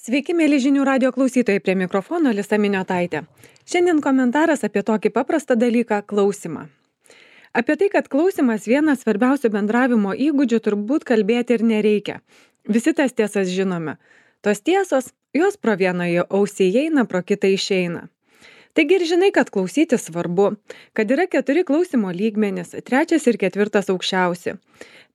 Sveiki, mėly žinių radio klausytojai, prie mikrofono Lisa Miniotaitė. Šiandien komentaras apie tokį paprastą dalyką – klausimą. Apie tai, kad klausimas vienas svarbiausių bendravimo įgūdžių, turbūt kalbėti ir nereikia. Visi tas tiesas žinome. Tos tiesos, jos pro vieną ausį įeina, pro kitą išeina. Taigi ir žinai, kad klausyti svarbu, kad yra 4 klausimo lygmenys, 3 ir 4 aukščiausi.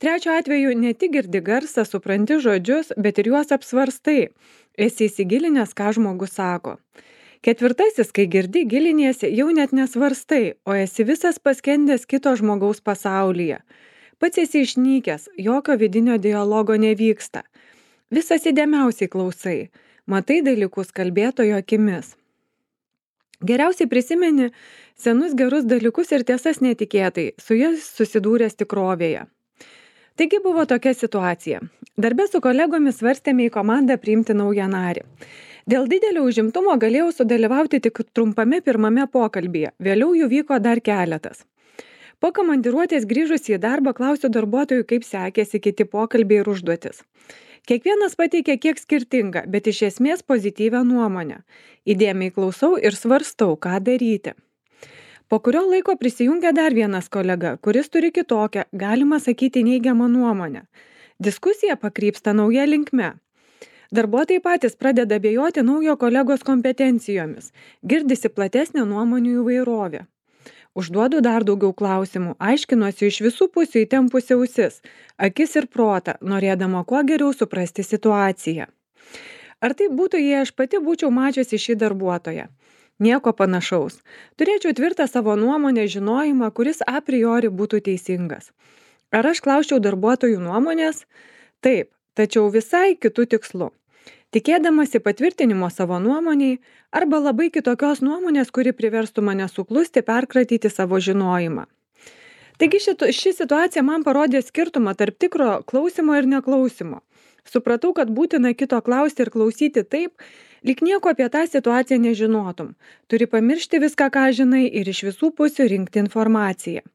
3 atveju ne tik girdi garsą, supranti žodžius, bet ir juos apsvarstai. Esi įsigilinęs, ką žmogus sako. 4, kai girdi, giliniesi, jau net nesvarstai, o esi visas paskendęs kito žmogaus pasaulyje. Pats esi išnykęs, jokio vidinio dialogo nevyksta. Visas įdėmiausiai klausai, matai dalykus kalbėtojo akimis. Geriausiai prisimeni senus gerus dalykus ir tiesas netikėtai, su jais susidūręs tikrovėje. Taigi buvo tokia situacija. Darbe su kolegomis svarstėme į komandą priimti naują narį. Dėl didelio užimtumo galėjau sudalyvauti tik trumpame pirmame pokalbyje, vėliau jų vyko dar keletas. Po komandiruotės grįžus į darbą klausiu darbuotojų, kaip sekėsi kiti pokalbiai ir užduotis. Kiekvienas pateikė kiek skirtingą, bet iš esmės pozityvią nuomonę. Įdėmiai klausau ir svarstau, ką daryti. Po kurio laiko prisijungia dar vienas kolega, kuris turi kitokią, galima sakyti, neigiamą nuomonę. Diskusija pakrypsta nauja linkme. Darbuotojai patys pradeda abejoti naujo kolegos kompetencijomis. Girdisi platesnė nuomonių įvairovė. Užduodu dar daugiau klausimų, aiškinuosi iš visų pusių įtempusi ausis, akis ir protą, norėdama kuo geriau suprasti situaciją. Ar tai būtų, jei aš pati būčiau mačiusi šį darbuotoją? Nieko panašaus. Turėčiau tvirtą savo nuomonę, žinojimą, kuris a priori būtų teisingas. Ar aš klausčiau darbuotojų nuomonės? Taip, tačiau visai kitų tikslų. Tikėdamasi patvirtinimo savo nuomoniai arba labai kitokios nuomonės, kuri priverstų mane suklusti, perkratyti savo žinojimą. Taigi ši situacija man parodė skirtumą tarp tikro klausimo ir neklausimo. Supratau, kad būtina kito klausti ir klausyti taip, lyg nieko apie tą situaciją nežinotum. Turi pamiršti viską, ką žinai, ir iš visų pusių rinkti informaciją.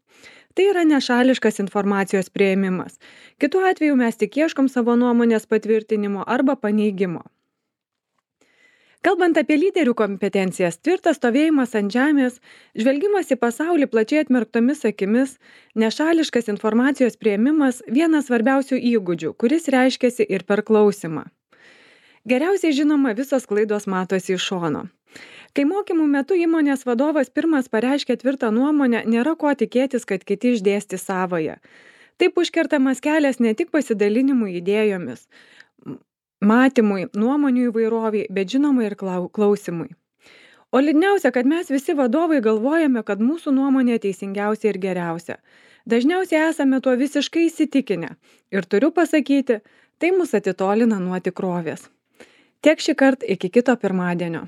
Tai yra nešališkas informacijos priėmimas. Kitu atveju mes tik ieškom savo nuomonės patvirtinimo arba paneigimo. Kalbant apie lyderių kompetencijas, tvirtas stovėjimas ant žemės, žvelgimas į pasaulį plačiai atmerktomis akimis, nešališkas informacijos priėmimas – vienas svarbiausių įgūdžių, kuris reiškiasi ir per klausimą. Geriausiai žinoma, visos klaidos matosi iš šono. Kai mokymų metu įmonės vadovas pirmas pareiškia tvirtą nuomonę, nėra ko tikėtis, kad kiti išdėsti savąją. Taip užkertamas kelias ne tik pasidalinimui idėjomis, matymui, nuomonių įvairoviai, bet žinoma ir klausimui. O liūdniausia, kad mes visi vadovai galvojame, kad mūsų nuomonė teisingiausia ir geriausia. Dažniausiai esame tuo visiškai įsitikinę. Ir turiu pasakyti, tai mus atitolina nuo tikrovės. Tiek šį kartą, iki kito pirmadienio.